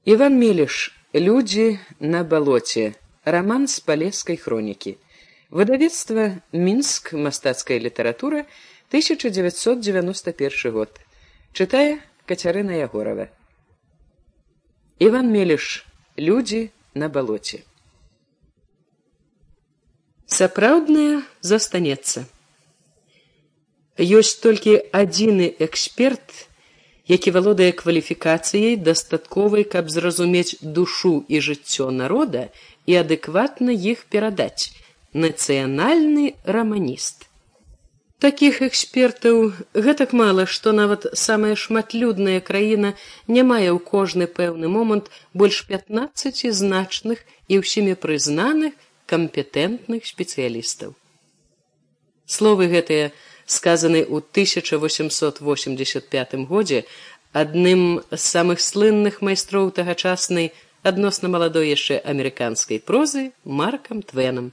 Іван Меліш. Людзі на балоце. Раман з палескай хронікі. Выдавецтва Мінск. Мастацкая літаратура. 1991 год. Чытае Кацярына Ягорова. Іван Меліш. Людзі на балоце. Сапраўднае застанецца. Ёсць толькі адзіны эксперт, які валодае кваліфікацыяй, дастатковай, каб зразумець душу і жыццё народа і адэкватна іх перадаць — нацыянальны раманіст. Такіх экспертаў гэтак мала, што нават самая шматлюдная краіна не мае ў кожны пэўны момант больш 15 значных і ўсімі прызнаных кампетэнтных спецыялістаў. Словы гэтыя сказаны ў 1885 годзе адным з самых слынных майстроў тагачаснай адносна маладой яшчэ амерыканскай прозы Маркам Твенам.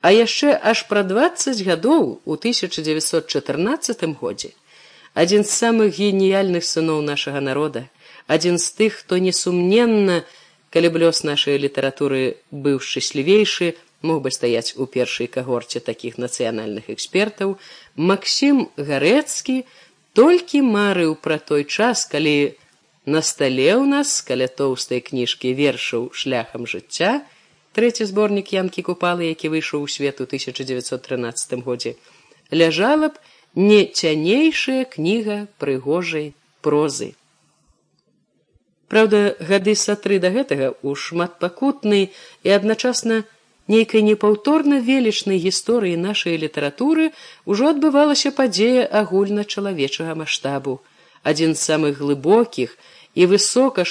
А яшчэ аж пра 20 гадоў у 1914 годзе адзін з самых геніяльных сыноў нашага народа, адзін з тых, хто несумненна, калі б лёс нашай літаратуры быў шчаслівейшы, мог бы стаяць у першай кагорце такіх нацыянальных экспертаў, Максім Гарэцкі толькі марыў пра той час, калі на стале ў нас, каля тоўстай кніжкі вершаў «Шляхам жыцця», трэці зборнік Янкі Купалы, які выйшаў у свет у 1913 годзе, ляжала б не цянейшая кніга прыгожай прозы. Праўда, гады са 3 да гэтага ў шматпакутнай і адначасна нейкай непаўторна велічнай гісторыі нашай літаратуры ўжо адбывалася падзея агульначалавечага маштабу, адзін з самых глыбокіх і высока